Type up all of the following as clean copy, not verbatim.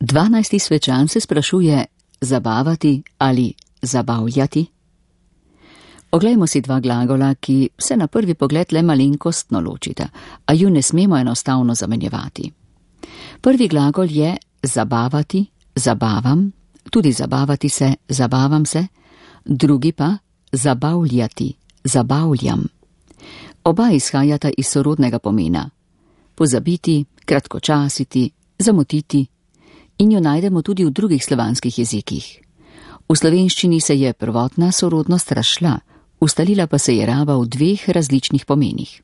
12. svečan se sprašuje, zabavati ali zabavljati? Oglejmo si dva glagola, ki se na prvi pogled le malenkostno ločita, a ju ne smemo enostavno zamenjevati. Prvi glagol je zabavati, zabavam, tudi zabavati se, zabavam se, drugi pa zabavljati, zabavljam. Oba izhajata iz sorodnega pomena. Pozabiti, kratkočasiti, zamotiti, in jo najdemo tudi v drugih slovanskih jezikih. V slovenščini se je prvotna sorodnost razšla, ustalila pa se je raba v dveh različnih pomenih.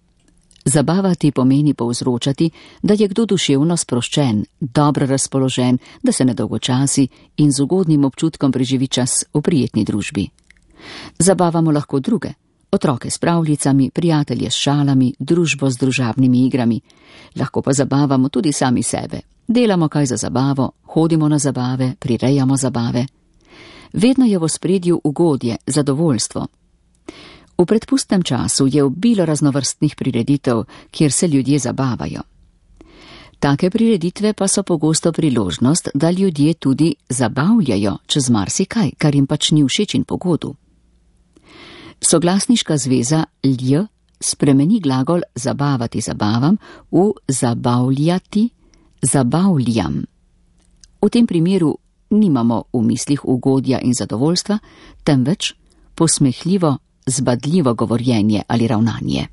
Zabavati pomeni povzročati, da je kdo duševno sproščen, dobro razpoložen, da se nedolgočasi in z ugodnim občutkom preživi čas v prijetni družbi. Zabavamo lahko druge, otroke s pravljicami, prijatelje s šalami, družbo s družabnimi igrami. Lahko pa zabavamo tudi sami sebe. Delamo kaj za zabavo, hodimo na zabave, prirejamo zabave. Vedno je v ospredju ugodje, zadovoljstvo. V predpustnem času je obilo raznovrstnih prireditev, kjer se ljudje zabavajo. Take prireditve pa so pogosto priložnost, da ljudje tudi zabavljajo čez marsikaj, kar jim pač ni všeč in pogodu. Soglasniška zveza lj spremeni glagol zabavati, zabavam v zabavljati, zabavljam. V tem primeru nimamo v mislih ugodja in zadovoljstva, temveč posmehljivo, zbadljivo govorjenje ali ravnanje.